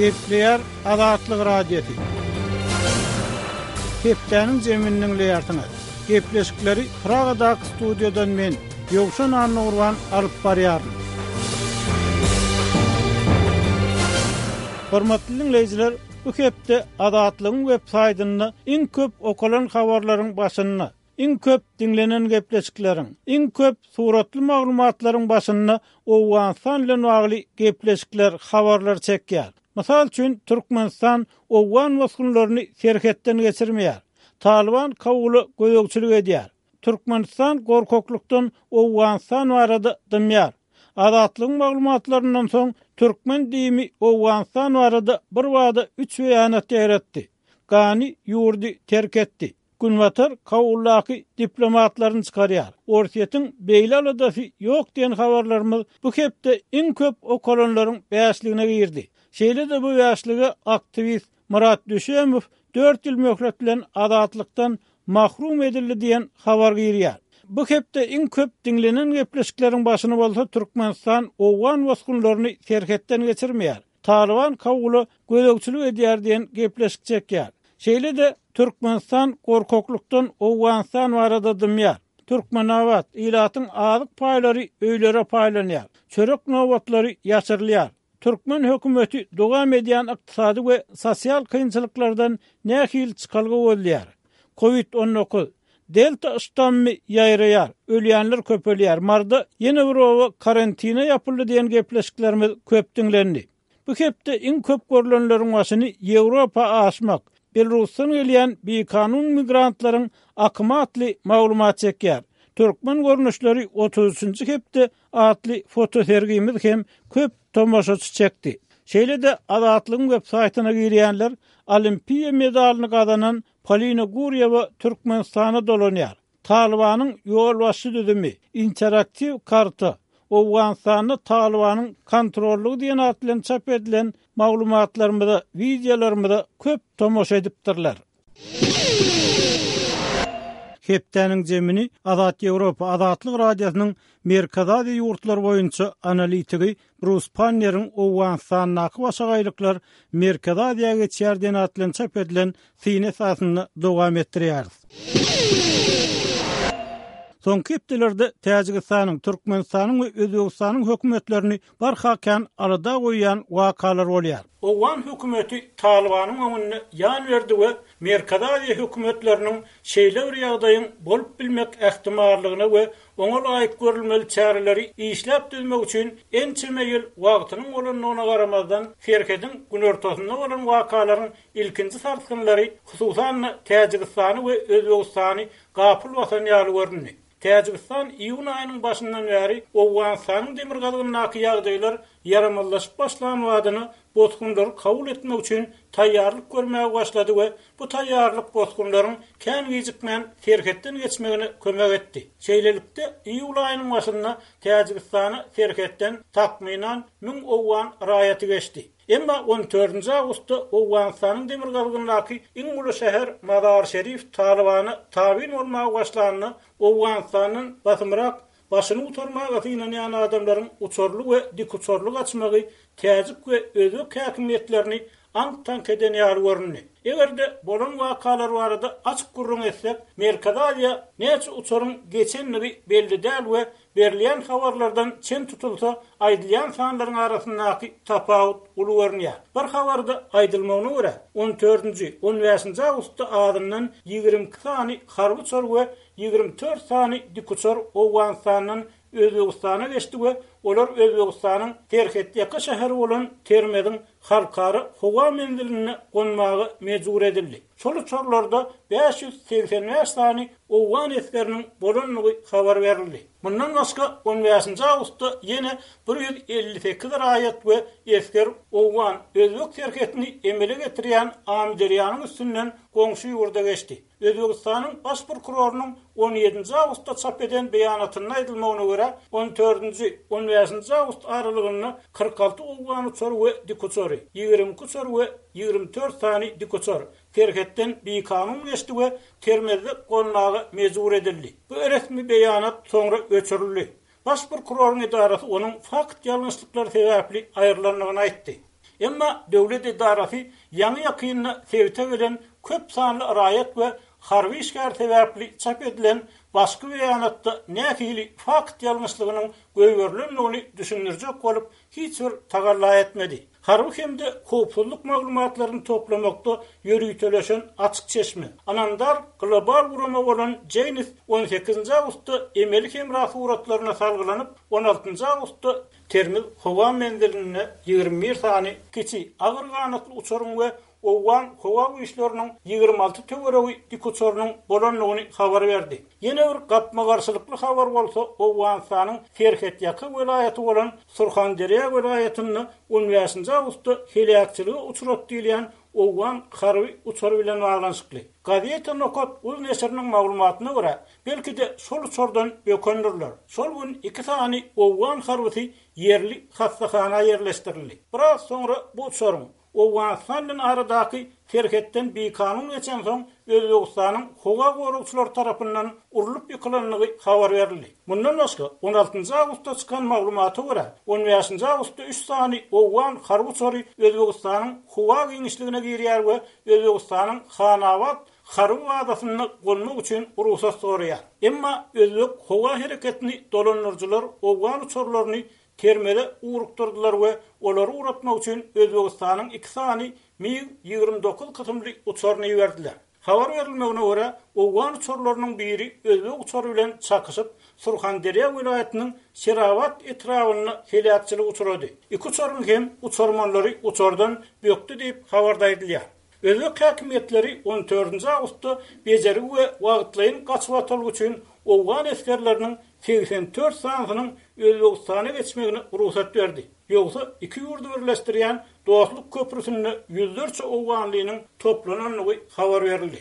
Gepleýär Azatlyk Radiosy. Hepdäniň jemini diňleýärsiňiz. Gepleşikleri Pragadaky studiýadan men, Ýowşan Annagurban alyp barýaryn. Hormatly diňleýjiler, bu hepde Azatlygyň web saýtynda iň köp okalan habarlaryň başynda, iň köp diňlenen gepleşikleriň, iň köp suratly maglumatlaryň başynda Owganystan bilen bagly gepleşikler, habarlar çekýär. Mysal üçin, Türkmenistan owgan bosgunlaryny serhetden geçirmeýär. Talyban Kabula gözegçilik edýär. Türkmenistan gorkaklykdan Owganystan barada dymýar. Azatlygyň maglumatlaryndan soň, türkmen DIM-i Owganystan barada birbada üç beýanat ýaýratdy. Gani ýurdy terk etdi. Günbatar Kabuldaky diplomatlaryny çykarýar. Orsýetiň beýle aladasy ýok diýen habarlarymyz bu hepde iň köp okalanlaryň bäşligine girdi. Şeýle-de bu bäşlige aktiwist Myrat Düşemow dört ýyl möhlet bilen azatlykdan mahrum edildi diýen habar girýär. Bu hepde iň köp diňlenen gepleşikleriň başyny bolsa Türkmenistan owgan bosgunlaryny serhetden geçirmeýär. Talyban Kabula gözegçilik edýär diýen gepleşik çekýär. Şeýle-de Türkmenistan gorkaklykdan Owganystan barada dymýar. Türkmenabat, ilatyň azyk paýlary öýlere paýlanýar. Çörek nobatlary ýaşyrylýar. Türkmen hökümeti dowam edýän ykdysady we sosial kynçylyklardan nähili çykalga gözleýär? Covid 19, Delta ştammy ýaýraýar, ölýänler köpelýär, Maryda ýene bir oba karantine ýapyldy diýen gepleşiklerimiz köp diňlendi. Bu hepde iň köp görlenleriň başyny Ýewropa aşmak, Belarusdan gelýän bikanun migrantlaryň akymy atly maglumat çekýär. Türkmen görnüşleri 33-nji hepde atly fotosergimiz hem köp tomaşaçy çekdi. Şeýle-de Azatlygyň web saýtyna girýänler Olimpiýa medalyny gazanan Polina Gurýewa Türkmenistana dolanýar. Talybanyň ýolbaşçy düzümi, interaktiw karta, Owganystanda Talybanyň kontrollygy diýen at bilen çap edilen maglumatlarymyza, wideolarymyza köp tomaşa edipdirler. Hepdäniň jemini Azat Ýewropa Azatlyk Radiosynyň Merkezi Aziýa ýurtlary boýunça analitigi Brus Panneriň Owganystandaky başagaýlyklar Merkezi Aziýa geçýär diýen at bilen çap edilen syny esasynda dowam etdirýäris. Soňky hepdelerde Täjigistanyň, Türkmenistanyň we Özbegistanyň hökümetlerini barha kän alada goýýan wakalar bolýar. Owgan hökümeti Talybanyň öňünde ýan berdi we Merkezi Aziýa hökümetleriniň şeýle bir ýagdaýyň bolup bilmek ähtimallygyna we oňa laýyk görülmeli çäreleri işläp düzmek üçin ençeme ýyl wagtynyň bolandygyna garamazdan, serhediň günortasynda bolan wakalaryň ilkinji sarsgynlary, hususan-da, Täjigistany we Özbegistany gapyl basan ýaly göründi. Täjigistan iýun aýynyň başyndan bäri Owganystanyň demirgazygyndaky ýagdaýlar ýaramazlaşyp başlan badyna bosgunlary kabul etmek üçin taýýarlyk görmäge başlady we bu taýýarlyk bosgunlaryň kän gijikmän serhetden geçmegine kömek etdi. Şeýlelikde, iýul aýynyň başynda Täjigistana serhetden takmynan müň owgan raýaty geçdi. Emma on dördünji awgustda Owganystanyň demirgazygyndaky iň uly şäher Mazar-Şerif Talybana tabyn bolmaga başlanda, Owganystandan basymrak başyny gutarmaga synanýan adamlaryň uçarly we dikuçarly gaçmagy täjik we özbek häkimiýetlerini aňk-taňk eden ýaly göründi. Eger-de bolan wakalar barada açyk gürrüň etsek, Merkezi Aziýa näçe uçaryň geçendigi belli däl we Berilýän habarlardan çen tutulsa, aýdylýan sanlaryň arasyndaky tapawut uly görünýär. Bir habarda aýdylmagyna görä, on dördünji, on bäşinji awgustda azyndan 22 sany harby uçar we 24 sany dikuçar Owganystandan Özbegistana geçdi we olar Özbegistanyň serhetýaka şäheri bolan Termeziň halkara howa menzilinde gonmaga mejbur edildi. Şol uçarlarda 585 sany owgan esgeriniň bolandygy habar berildi. Mundan başga, on bäşinji awgustda ýene 158 raýat we esger owgan, özbek serhetini emele getirýän Amyderýanyň üstünden goňşy ýurda geçdi. Özbegistanyň Baş prokurorynyň on ýedinji awgustda çap eden beýanatynda aýdylmagyna görä, on dördünji, on bäşinji awgust aralygynda 46 owgan uçary we dikuçary, 22 uçar we 24 sany dikuçar serhetden bikanun geçdi we Termezde gonmaga mejbur edildi. Bu resmi beýanat soňra öçürildi. Baş prokuroryň edarasy onuň fakt ýalňyşlyklary sebäpli aýrylandygyny aýtdy. Emma döwlet edarasy ýaňy-ýakynda sebite gelen köp sanly raýat we harby işgär sebäpli çap edilen başky beýanatda nähili fakt ýalňyşlygynyň goýberilendigini düşündirjek bolup hiç bir tagalla etmedi. Harby hem-de howpsuzlyk maglumatlaryny toplamakda ýöriteleşen açyk çeşme, ynamdar global gurama bolan Jeynes on sekizinji awgustda emeli hemra suratlaryna salgylanyp, on altynjy awgustda Termiz howa menzilinde 21 sany kiçi agyr ganatly uçaryň we owgan howa güýçleriniň 26 töweregi dikuçarynyň bolandygyny habar berdi. Ýene bir gapma-garşylykly habar bolsa Owganystanyň serhetýaka welaýaty bolan Surhanderýa welaýatynda on bäşinji awgustda heläkçilige uçrady diýilýän owgan harby uçary bilen baglanyşykly. Gazeta Nokat uz neşiriniň maglumatyna görä, belki-de şol uçardan bökendirler. Şol gün iki sany owgan harbysy ýerli hassahana ýerleşdirildi. Biraz soňra bu uçaryň Owganystan bilen aradaky serhetden bikanun geçensoň, Özbegistanyň howa goragçylary tarapyndan urlup ýykylandygy habar berildi. Mundan başga, on altynjy awgustda çykan maglumata görä, on bäşinji awgustda üç sany owgan harby uçary Özbegistanyň howa giňişligine girýär we Özbegistanyň Hanabat harby bazasynda gonmak üçin rugsat soraýar. Emma özbek howa hereketini dolandyryjylar owgan uçarlaryny Termeze ugrukdyrdylar we olary ugratmak üçin Özbegistanyň iki sany MiG 29 kysymly uçaryny iberdiler. Habar berilmegine görä, owgan uçarlarynyň biri özbek uçary bilen çakyşyp, Surhanderýa welaýatynyň Şerabat etrabynda heläkçilige uçrady. Iki uçaryň hem uçarmanlary uçardan bökdi diýip, habarda aýdylýar. Özbek häkimiýetleri on dördünji awgustda bejergi we wagtlaýyn gaçybatalga üçin owgan esgerleriniň 84 sanysynyň Özbegistana geçmegine rugsat berdi. Ýogsa iki ýurdy birleşdirýän Dostluk köprüsinde ýüzlerçe owganlynyň toplanandygy habar berildi.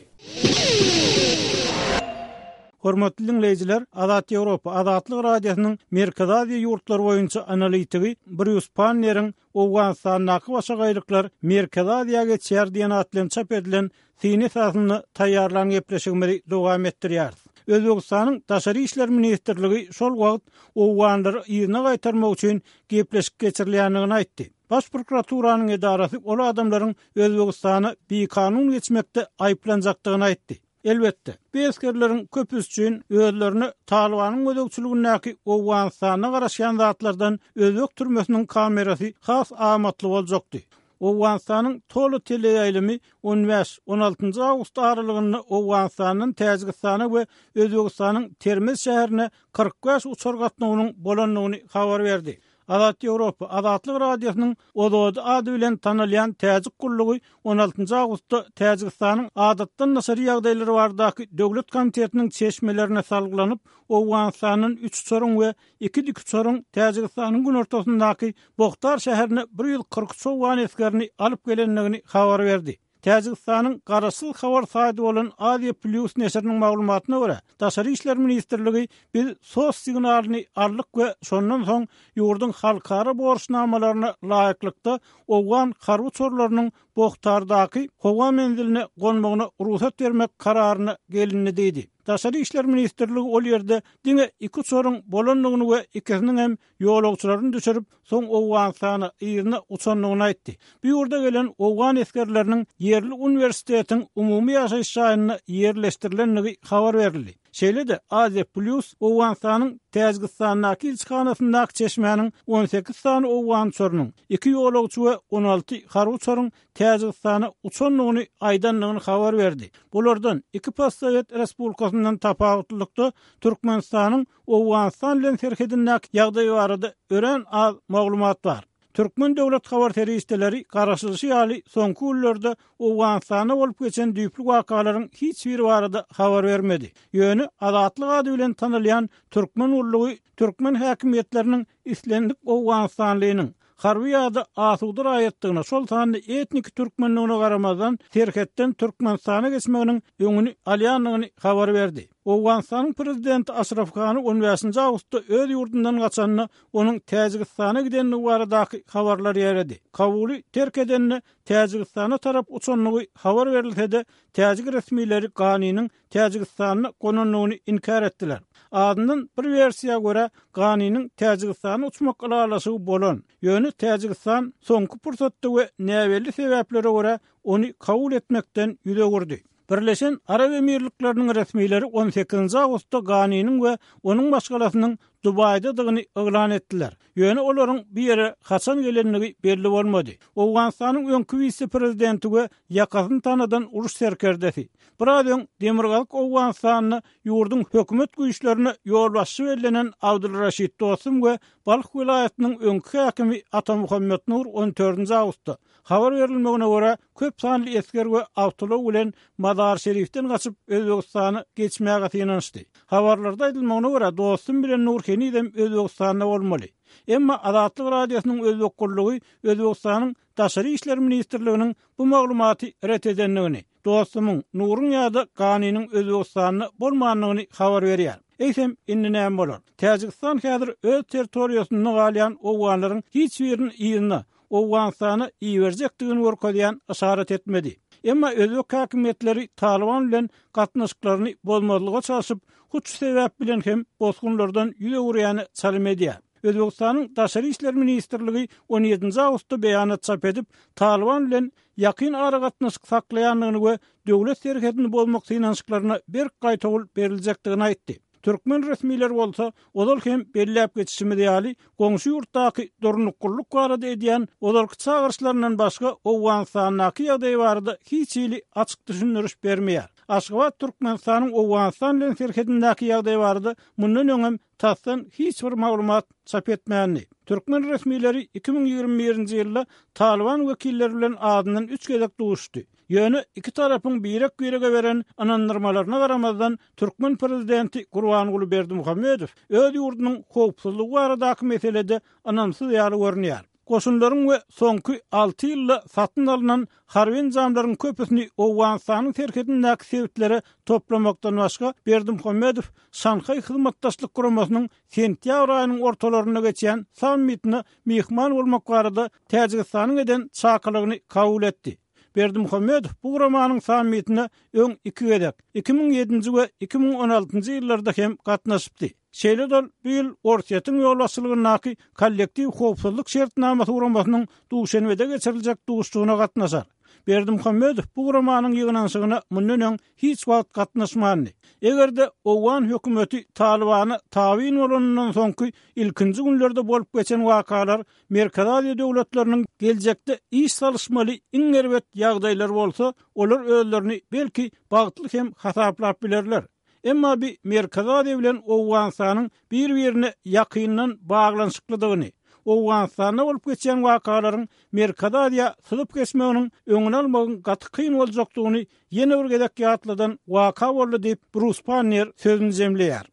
Hormatly diňleýjiler, Azat Ýewropa, Azatlyk Radiosynyň Merkezi Aziýa ýurtlary boýunça analitigi Brýus Panneriň Owganystandaky başagaýlyklar Merkezi Aziýa geçýär diýen at bilen çap edilen syny esasynda taýýarlan gepleşigimizi dowam etdirýäris. Özbegistanyň Daşary işler ministrligi şol wagt owganlary yzyna gaýtarmak üçin gepleşik geçirilýändigini aýtdy. Baş prokuraturanyň edarasy ol adamlaryň Özbegistana bikanun geçmekde aýyplanjakdygyny aýtdy. Elbetde, bu esgerleriň köpüsi üçin özlerine Talybanyň gözegçiligindäki Owganystanda garaşýan zatlardan özbek türmesiniň kamerasy has amatly boljakdy. Owganystanyň Tolo teleýaýlymy on bäş, on altynjy awgust aralygynda Owganystandan Täjigistana we Özbegistanyň Termez şäherine 45 uçar gatnawynyň bolandygyny habar berdi. Azat Ýewropa, Azatlyk Radiosynyň Ozodi ady bilen tanalýan täjik gullugy on altynjy awgustda Täjigistanyň Adatdan daşary ýagdaýlar baradaky döwlet komitetiniň çeşmelerine salgylanyp, Owganystandan üç uçaryň we iki dikuçaryň Täjigistanyň günortasyndaky Bohtar şäherine 143 owgan esgerini alyp gelendigini habar berdi. Täjigistanyň garaşsyz habar saýty bolan Aziýa Plýus neşiriniň maglumatyna görä, Daşary işler ministrligi biz sos signalyny aldyk we şondan soň ýurduň halkara borçnamalaryna laýyklykda owgan harby uçarlarynyň Bohtardaky howa menziline gonmagyna rugsat bermek kararyna gelindi diýdi. Daşary işler ministrligi ol ýerde diňe iki uçaryň bolandygyny we ikisiniň hem ýolagçylaryny düşürip, soň Owganystana yzyna uçandygyny aýtdy. Bu ýurda gelen owgan esgerleriniň ýerli uniwersitetiň umumy ýaşaýyş jaýynda ýerleşdirilendigi habar berildi. Şeýle-de, Aziýa Plýus Owganystanyň Täjigistandaky ilçihanasyndaky çeşmäniň 18 sany owgan uçarynyň, iki ýolagçy we 16 harby uçaryň Täjigistana uçandygyny aýdandygyny habar berdi. Bulardan iki postsowet respublikasyndan tapawutlylykda Türkmenistanyň Owganystan bilen serhedindäki ýagdaý barada örän az maglumat bar. Türkmen döwlet habar serişdeleri garaşylyşy ýaly soňky günlerde Owganystanda bolup geçen düýpli wakalaryň hiç biri barada habar bermedi. Ýöne Azatlyk ady bilen tanalýan türkmen gullugy türkmen häkimiýetleriniň islendik owganystanlynyň, harby ýa-da asuda raýatdygyna, şol sanda etniki türkmendigine garamazdan, serhetden Türkmenistana geçmeginiň öňüni alýandygyny habar berdi. Owganystanyň prezidenti Aşraf Gani on bäşinji awgustda öz ýurdundan gaçanda, onuň Täjigistana gidendigi baradaky habarlar ýaýrady. Kabuly terk edende Täjigistana tarap uçandygy habar berilse-de, täjik resmileri Ganiniň Täjigistanda gonandygyny inkär etdiler. Azyndan bir wersiýa görä, Ganiniň Täjigistana uçmak ylalaşygy bolan, ýöne Täjigistan soňky pursatda we näbelli sebäplere görä ony kabul etmekden ýüz öwürdi. Birleşen Arap Emirlikleriniň resmileri on sekizinji awgustda Ganiniň we onuň maşgalasynyň Dubaýdadygyny yglan etdiler. Ýöne olaryň bu ýere haçan gelendigi belli bolmady. Owganystanyň öňki wise-prezidenti we ýakasyny tanadan uruş serkerdesi, biraz öň Demirgazyk Owganystanda ýurduň hökümet güýçlerine ýolbaşçy bellenen Abdulraşid Dostum we Balh welaýatynyň öňki häkimi Atamuhammet Nur on dördünji awgustda, habar berilmegine görä, köp sanly esger we awtoulag bilen Mazar-Şerifden gaçyp, Özbegistana geçmäge synanyşdy. Habarlarda aýdylmagyna görä, Dostum bilen Nur henizem Özbegistanda bolmaly. Emma Azatlyk Radiosynyň Özbek gullugy Özbegistanyň Daşary işler ministrliginiň bu maglumaty ret edendigini, Dostumyň, Nuruň ýa-da Ganiniň Özbegistanda bolmandygyny habar berýär. Eýsem, indi näme bolar? Täjigistan häzir öz territoriýasynda galýan owganlaryň hiç birini yzyna, Owganystana iberjekdigini görkezýän yşarat etmedi. Emma özbek häkimiýetleri Talyban bilen gatnaşyklaryny bozmazlyga çalşyp, hut şu sebäp bilen hem bosgunlardan ýüz öwürýäne çalym edýär. Özbegistanyň Daşary işler ministrligi on ýedinji awgustda beýanat çap edip, Talyban bilen ýakyn aragatnaşyk saklaýandygyny we döwlet serhedini bozmak synanyşyklaryna berk gaýtawul beriljekdigini aýtdy. Türkmen resmileri bolsa, ozal hem belläp geçişimiz ýaly, goňşy ýurtdaky durnuklylyk barada edýän ozalky çagyryşlaryndan başga Owganystandaky ýagdaý barada hiç hili açyk düşündiriş bermeýär. Aşgabat Türkmenistanyň Owganystan bilen serhedindäki ýagdaý barada mundan öňem tasdan hiç bir maglumat çap etmändi. Türkmen resmileri 2021-nji ýylda Talyban wekilleri bilen azyndan üç gezek duşuşdy. Ýöne iki tarapyň birek-birege beren ynandyrmalaryna garamazdan, türkmen prezidenti Gurbanguly Berdimuhamedow öz ýurdunyň howpsuzlygy baradaky meselede ynamsyz ýaly görünýär. Goşunlaryň we soňky alty ýylda satyn alnan harby enjamlaryň köpüsini Owganystanyň serhedindäki sebitlere toplamakdan başga, Berdimuhamedow Şanhaý Hyzmatdaşlyk Guramasynyň sentýabr aýynyň ortalarynda geçýän sammitine myhman bolmak barada Täjigistanyň eden çakylygyny kabul etdi. Berdimuhamedow bu guramanyň sammitine öň iki gezek, 2007-nji we 2016-njy ýyllarda hem gatnaşypdy. Şeýle-de ol bu ýyl Orsýetiň ýolbaşçylygyndaky Kollektiw howpsuzlyk şertnamasy guramasynyň Duşenbede geçiriljek duşuşygyna gatnaşar. Berdimuhamedow bu guramanyň ýygnanyşygyna mundan öň hiç wagt gatnaşmandy. Eger-de owgan hökümeti Talybana tabyn bolanyndan soňky ilkinji günlerde bolup geçen wakalar Merkezi Aziýa döwletleriniň geljekde iş salyşmaly iň erbet ýagdaýlary bolsa, olar özlerini belki bagtly hem hasaplap bilerler. Emma bi Merkezi Aziýa bilen Owganystanyň bir-birine ýakyndan baglanyşyklydygyny, Owganystanda bolup geçýän wakalaryň Merkezi Aziýa syzyp geçmeginiň öňüni almagyň gaty kyn boljakdygyny ýene bir gezek ýatladan waka boldy diýip, Brus Pannier sözüni jemleýär.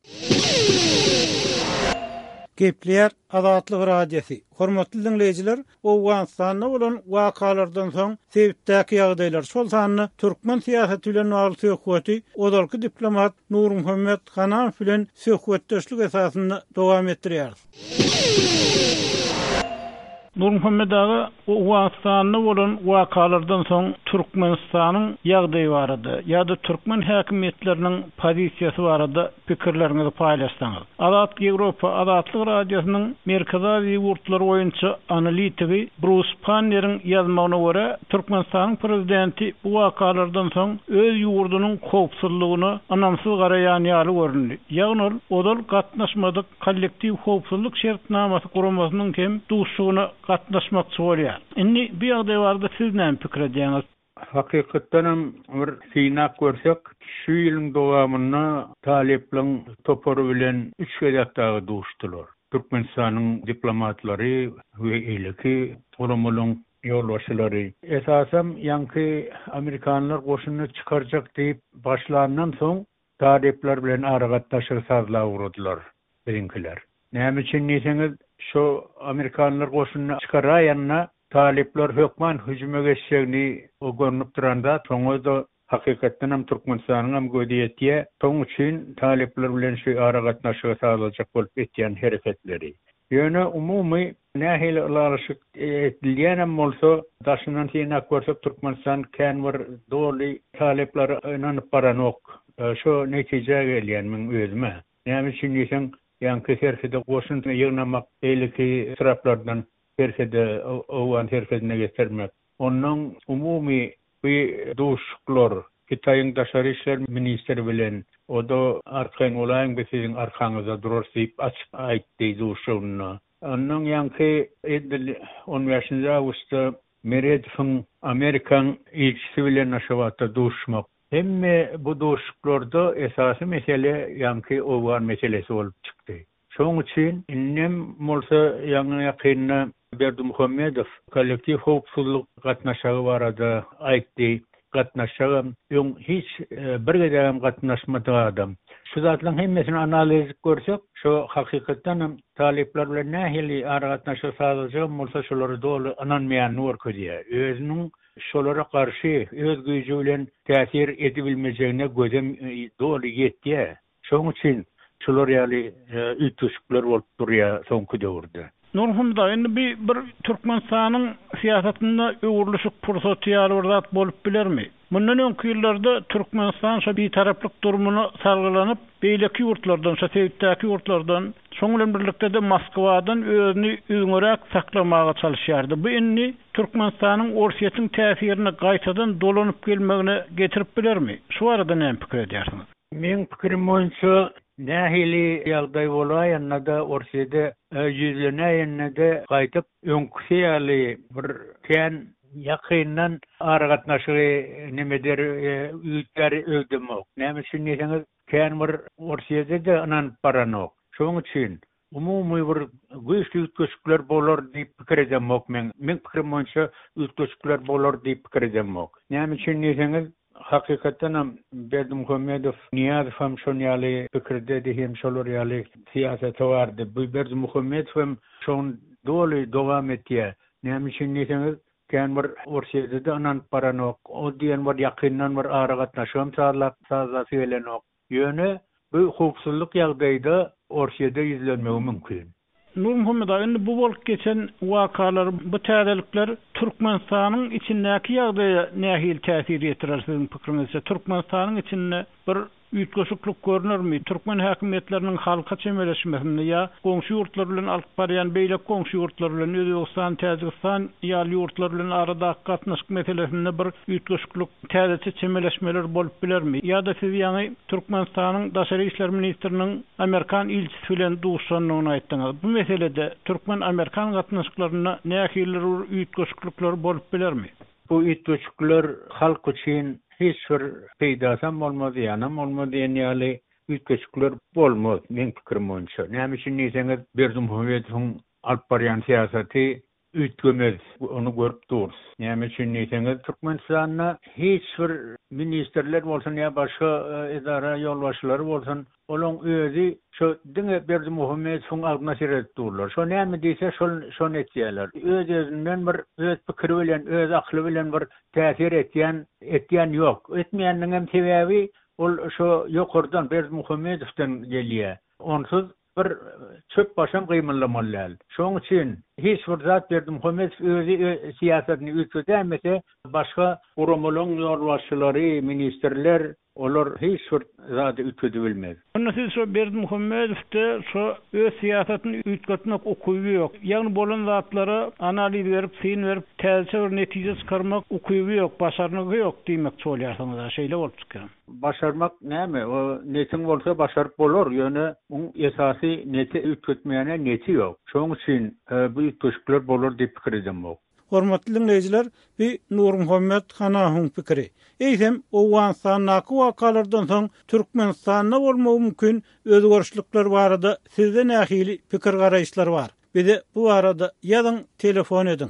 Gepleýär Azatlyk Radiosy, Hormatly diňleýjiler, Owganystanda bolan wakalardan soň sebitdäki ýagdaýlar, şol sanda türkmen syýasaty bilen bagly söhbeti ozalky diplomat Nurmuhammet Hanamow bilen söhbetdeşlik esasynda dowam etdirýäris. Nurmuhammet aga, Owganystanda bolan wakalardan soň Türkmenistanyň ýagdaýy barada ýa-da türkmen häkimiýetleriniň pozisiýasy barada pikirleriňizi paýlaşsaňyz. Azat Ýewropa Azatlyk Radiosynyň Merkezi Aziýa ýurtlary boýunça analitigi Brus Panneriň ýazmagyna görä, Türkmenistanyň prezidenti bu wakalardan soň öz ýurdunyň howpsuzlygyna ynamsyz garaýan ýaly göründi. Ýagny ol ozal gatnaşmadyk Kollektiw howpsuzlyk şertnamasy guramasynyň hem duşuşygyna gatnaşmakçy bolýar. Indi bu ýagdaý barada siz näme pikir edýäňiz? Hakykatdanam bir synap görsek, şu ýylyň dowamynda talyplaryň topary bilen üç gezek dagy duşdular. Türkmenistanyň diplomatlary we eýleki guramalaryň ýolbaşçylary. Esasam ýaňky amerikanlar goşunyny çykarjak diýip başlandan soň Talyplar bilen aragatnaşygy sazlap ugradylar biziňkiler. Näme üçin diýseňiz, şo amerikanlar goşunyny çykaraýanda talyplar hökman hüjüme geçjegini o görnüp duran zat. Şoňa-da hakykatdanam Türkmenistanyňam gözi ýetýär. Şoň üçin talyplar bilen şu aragatnaşygy sazlajak bolup etýän hereketleri. Ýöne umumy nähili ylalaşyk edilýänem bolsa, daşyndan synap görsek Türkmenistan kän bir doly talyplara ynanyp baranok. Şo netijä gelýän meň özüm-ä. Näme üçin diýseň, ýaňky serhede goşun ýygnamak, beýleki etraplardan serhede, owgan serhedine getirmek. Onnoň umumy bu duşuşyklar Hytaýyň daşary işler ministri bilen, o-da arkaýyn bolaýyň biz siziň arkaňyzda durarys diýip açyk aýtdy duşuşygynda. Onnoň ýaňky edil on bäşinji awgustda Meredowyň Amerikaň ilçisi bilen Aşgabatda duşuşmak. Hemme bu duşuşyklarda esasy mesele ýaňky owgan meselesi bolup çykdy. Şoň üçin indem bolsa ýaňy-ýakynda Berdimuhamedow kollektiw howpsuzlyk gatnaşagy barada aýtdy. Gatnaşjagam, öň hiç bir gezegem gatnaşmadyk adam. Şu zatlaryň hemmesini analiz edip görsek, şo hakykatdanam talyplar bilen nähili aragatnaşyk sazlajagam bolsa şolara doly ynanmaýanyny görkezýär. Özüniň şolara garşy öz güýji bilen täsir edibilmejegine gözem doly ýetýär. Şonuň üçin şular ýaly üýtgeşikler bolup durýar soňky döwürde. Nurhumda, indi bi bir Türkmenistanyň syýasatynda öwrülişik pursaty ýaly bir zat bolup bilermi? Mundan öňki ýyllarda Türkmenistan şo bitaraplyk durumyna salgylanyp, beýleki ýurtlardan, şo sebitdäki ýurtlardan, şoň bilen birlikde-de Moskwadan özüni üzňeräk saklamaga çalyşýardy. Bu indi Türkmenistanyň Orsýetiň täsirine gaýtadan dolanyp gelmegine getirip bilermi? Şu barada näme pikir edýärsiňiz? Meň pikirim boýunça, nähili ýagdaý bolaýanda-da, Orsýede ýüzlenäýende-de gaýdyp öňküsi ýaly bir kän ýakyndan aragatnaşygy neme eder, üýtgär öýdemok. Näme üçin diýseňiz, kän bir Orsýede-de ynanyp baranok. Şonuň üçin umumy bir güýçli üýtgeşikler bolar diýip pikir edemok men. Meň pikirim boýunça üýtgeşikler bolar diýip pikir edemok. Näme üçin diýseňiz, hakykatdanam Berdimuhamedow, Nyýazow hem şon ýaly pikirdedi hem şolar ýaly syýasaty bardy. Bu Berdimuhamedow hem şony doly dowam etýär. Näme üçin diýseňiz, kän bir Orsýede-de ynanyp baranok. O diýen bir ýakyndan bir aragatnaşygam sazlap sazlasy gelenok. Ýöne bu howpsuzlyk ýagdaýda Orsýede ýüzlenmegi mümkin. Nurmuhammet aga, indi bu bolup geçen wakalar, bu täzelikler Türkmenistanyň içindäki ýagdaýa nähili täsir ýetirer siziň pikiriňizçe? Türkmenistanyň içinde bir üýtgeşiklik görnermi? Türkmen häkimiýetleriniň halka çemeleşmesinde ýa goňşy ýurtlar bilen alyp barýan beýleki goňşy ýurtlar bilen, Özbegistan, Täjigistan ýaly ýurtlar bilen aradaky gatnaşyk meselesinde bir üýtgeşiklik Täzeçe çemeleşmeler bolup bilermi? Ýa-da siz ýaňy Türkmenistanyň Daşary işler ministriniň amerikan ilçisi bilen duşuşandygyny aýtdyňyz. Bu meselede türkmen-amerikan gatnaşyklarynda nähilidir bir üýtgeşiklikler bolup bilermi? Bu üýtgeşikler halk üçin hiç bir peýdasam bolmaz, zyýanam bolmaz diýen ýaly üýtgeşikler bolmaz, meň pikirim boýunça. Näme üçin diýseňiz, Berdimuhamedowyň alyp barýan syýasaty Üýtgemez, ony görüp durus. Näme üçin diýseňiz, Türkmenistanda hiç bir ministrler bolsun ýa başga edara ýolbaşçylary bolsun, olaň özi şo diňe Berdimuhamedowyň agzyna seredip durlar. Şo näme diýse şol şony etýärler. Öz-özünden bir öz pikiri bilen, öz akyly bilen bir täsir etýän etýän ýok. Etmeýäniniňem sebäbi ol şo ýokardan Berdimuhamedowdan gelýär. Onsuz Bir çöp başam gymyldamaly däl. Şoň üçin hiç bir zat Berdimuhamedow özi syýasatyny üýtgedäýmese, başga guramalaryň ýolbaşçylary, ministrler olar hiç bir zady üýtgedibilmez. Onda siz şo Berdimuhamedowda şo öz syýasatyny üýtgetmek ukyby ýok. Ýagny bolan zatlara analiz berip, syn berip, täzeçe bir netije çykarmak ukyby ýok, başarnygy ýok diýmekçi bolýarsyňyz-a, şeýle bolup çykýar. Başarmak näme, o netiň bolsa başaryp bolar, ýöne oň esasy neti üýtgetmäne neti ýok. Şoň üçin bu üýtgeşikler bolar diýip pikir edemok. Hormatly diňleýjiler, bu Nurmuhammet Hanahyň pikiri. Eýsem, Owganystandaky wakalardan soň Türkmenistanda bolmagy mümkin özgerişlikler barada sizde nähili pikir-garaýyşlar bar? Bize bu barada ýazyň, telefon ediň.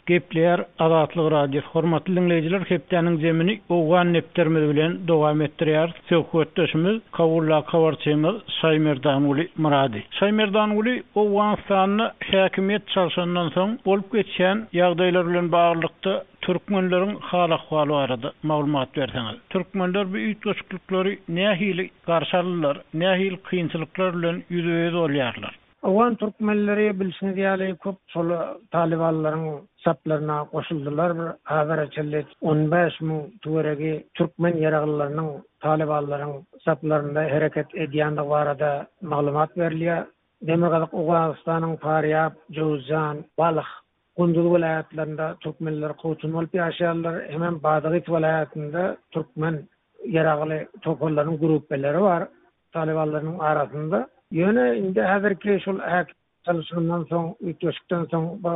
Gepleýär Azatlyk Radiosy. Hormatly diňleýjiler, hepdäniň zemini Owgan depderimiz bilen dowam etdirýäris. Söhbetdeşimiz Kabuldaky habarçymyz Şaýmerdanguly Myrady. Şaýmerdanguly, Owganystanda häkimiýet çalşandan soň bolup geçýän ýagdaýlar bilen baglylykda türkmenleriň hal-ahwaly barada maglumat berseňiz. Türkmenler bu üýtgeşiklikleri nähili garşy aldylar, nähili kynçylyklar bilen ýüzbe-ýüz bolýarlar? Owgan türkmenleri bilşiňiz ýaly köp şol talybanlaryň. saplaryna goşuldylar. Bir hazara çenli 15 000 töweregi türkmen ýaraglylarynyň talybanlaryň saplarynda hereket edýändigi barada maglumat berilýär. Demirgazyk Owganystanyň Farýab, Jöwüzjan, Balh, Gunduz welaýatlarynda türkmenler kowçum bolup ýaşaýarlar. Hemem Badagys welaýatynda türkmen ýaragly toparlaryň grupbeleri bar talybanlarynyň arasynda. Ýöne indi häzirki şol häkim çalyşygyndan soň, üýtgeşikden soň bu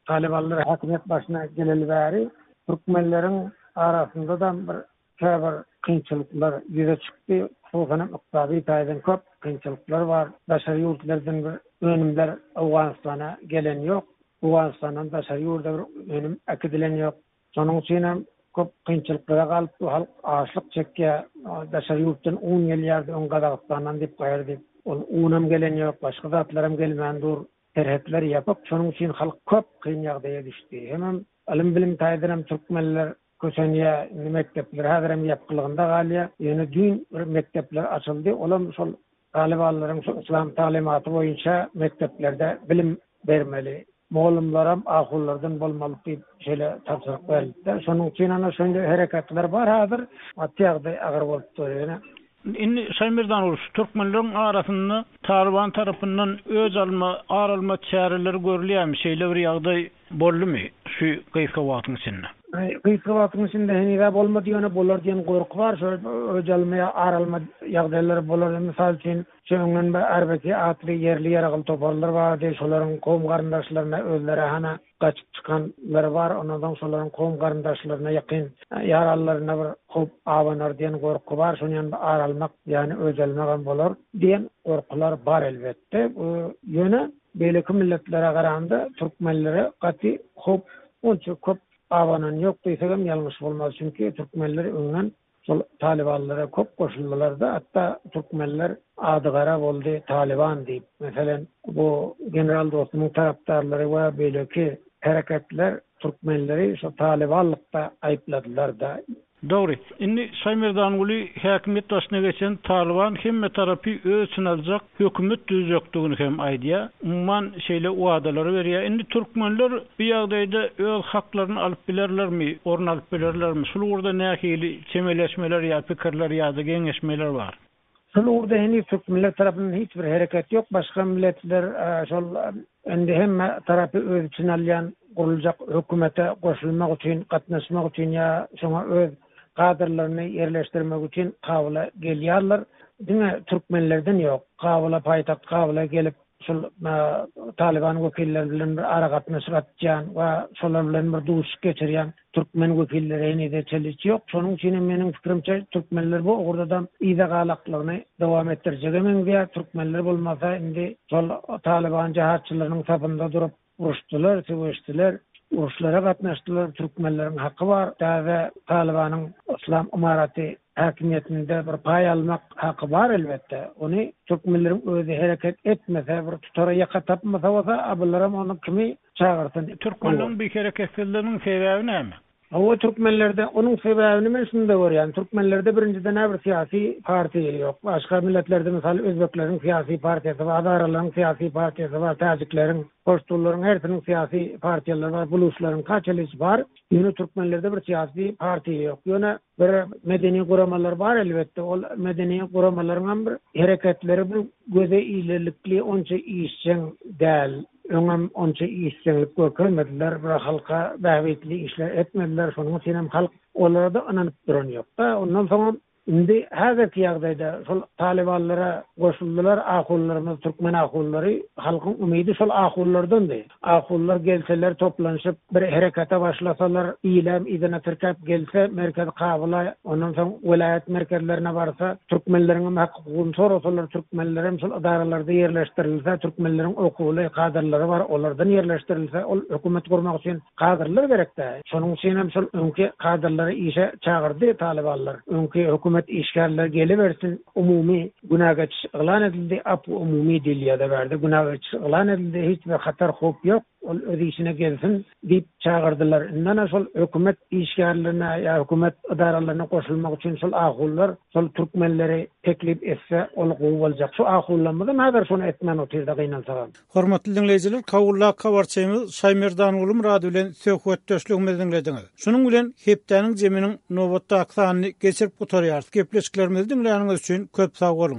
talybanlar häkimiýet başyna geleli bäri türkmenleriň arasynda-da bir käbir kynçylyklar ýüze çykdy. Hususan hem ykdysady taýdan köp kynçylyklar bar. Daşary ýurtlardan bir önümler Owganystana gelen ýok. Owganystandan daşary ýurda bir önüm äkidilen ýok. Şonuň üçin hem köp kynçylyklara galyp bu halk açlyk çekýär. Daşary ýurtdan un gelýärdi öň Gazagystandan diýip gaýry diýip. Ol unam gelen ýok, başga zatlaram gelmän dur. Serhetler ýapyk. Şonuň üçin halk köp kyn ýagdaýa düşdi. Hemem ylym-bilim taýdan hem türkmenler kösenýär. Indi mekdepler häzirem ýapykylygynda galýar. Ýöne düýn bir mekdepler açyldy. Olam şol talybanlaryň şu yslam taglymaty boýunça mekdeplerde bilim bermeli. Mugallymlaram ahunlardan bolmaly diýip şeýle tabşyryk berildi-de. Şonuň üçin ana şeýle hereketler bar häzir. Gaty ýagdaý agyr bolup dur ýöne. Indi Şaýmerdan şu türkmenleriň arasynda Talyban tarapyndan öç alma, ar alma çäreleri görülýärmi? Şeýle bir ýagdaý boldumy şu gysga wagtyň içinde? Gysga wagtyň içinde heniz-ä bolmady, ýöne bolar diýen gorky bar. Şol öç alma ýa ar alma ýagdaýlary bolar. Mysal üçin, şu öňden bir RBK atly ýerli ýaragly toparlar bardy. Şolaryň kowum-garyndaşlaryna özleri hana gaçyp çykanlary bar, ondan soň şolaryň kowum-garyndaşlaryna, ýakyn ýaranlaryna bir howp abanar diýen gorky bar, şonuň ýaly bir ar almak, ýagny öç almagam bolar diýen gorkular bar elbetde. Bu ýöne beýleki milletlere garanda türkmenlere gaty howp onça köp abanan ýok diýsegem ýalňyş bolmaz, çünki türkmenler öňden Şol talybanlara köp goşuldylarda hatda türkmenler ady gara boldy talyban diýip. Meselem bu general Dostumyň tarapdarlary we beýleki hereketler türkmenleri şo talybanlykda aýypladylarda. Dogry. Indi Şaýmerdanguly häkimiýet başyna geçen Talyban hemme tarapy öz içine aljak hökümet düzjekdigini hem aýdýar. Umuman şeýle wadalary berýär. Indi türkmenler bu ýagdaýda öz haklaryny alyp bilerlermi, orun alyp bilerlermi? Şul ugurda nähili çemeleşmeler ýa pikirler ýa-da geňeşmeler bar? Şul ugurda heniz türkmenler tarapyndan hiç bir hereket ýok. Başga milletler şol indi hemme tarapy öz içine alýan guruljak hökümete goşulmak üçin, gatnaşmak üçin ýa şoňa öz kadrlaryny ýerleşdirmek üçin Kabula gelýärler. Diňe türkmenlerden ýok. Kabula, paýtagt Kabula gelip, şol Talyban wekilleri bilen bir aragatnaşyk açýan we şolar bilen bir duşuşyk geçirýän türkmen wekilleri henize çenli hiç ýok. Şonuň üçin hem meniň pikirimçe türkmenler bu ugurda-da yza galaklygyny dowam etdirjege meňzeýär. Türkmenler bolmasa indi şol Talyban jahatçylarynyň sapynda durup uruşdylar, söweşdiler, uruşlara gatnaşdylar, türkmenleriň haky bar, täze Talybanyň Yslam ymaraty häkimiýetinde bir paý almak haky bar elbetde. Ony türkmenleriň özi hereket etmese, bir tutara ýaka tapmasa bolsa, a bularam ony kimi çagyrsyn? Türkmenleriň bu hereketsizliginiň sebäbi näme? Hawa türkmenlerde onuň sebäbini men şunda görýän türkmenlerde birinjiden-ä bir syýasy partiýa ýok başga milletlerde mysal özbekleriň syýasy partiýasy bar azaralaryň syýasy partiýasy bar täjikleriň poştunlaryň hersiniň syýasy partiýalary bar buluçlaryň kaçelisi bar ýöne türkmenlerde bir syýasy partiýa ýok ýöne bir medeni guramalar bar elbetde ol medeni guramalaryňam bir hereketleri bir göze ilerlikli onça işjeň däl. Öňem onça işjeňlik görkezmediler, bir halka bähbitli işler etmediler, şonuň üçin hem halk olara-da ynanyp duran ýok-da. Ondan soňam indi häzirki ýagdaýda şol talybanlara goşuldylar ahunlarymyz, türkmen ahunlary, halkyň umydy şol ahunlardandy. Ahunlar gelseler toplanyşyp bir herekete başlasalar, ilem yzyna tirkäp gelse merkezi Kabula, ondan soň welaýat merkezlerine barsa, türkmenleriňem hak-hukugyny sorasalar, türkmenlerem şol edaralarda ýerleşdirilse, türkmenleriň okuwly kadrlary bar, olardan ýerleşdirilse, ol hökümet gurmak üçin kadrlar gerek-dä. Şonuň üçinem şol öňki kadrlary işe çagyrdy talybanlar. Öňki hökümet işgärleri gelibersin, umumy. Günä geçiş yglan edildi, apw umumy diýilýär-de bärde, günä geçiş yglan edildi, hiç bir hatar howp ýok, ol öz işine gelsin diýip çagyrdylar. Indi ana şol hökümet işgärlerine ýa hökümet edaralaryna goşulmak üçin şol ahunlar şol türkmenleri teklip etse ol gowy boljak. Şu ahunlarymyzam häzir şony etmän otyrda gynansagam. Hormatly diňleýjiler, Kabuldaky habarçymyz Şaýmerdanguly Myrady bilen söhbetdeşligimizi diňlediňiz. Şunuň bilen hepdäniň jeminiň nobatdaky sanyny geçirip gutarýarys. Gepleşiklerimizi diňläniňiz üçin köp sag boluň!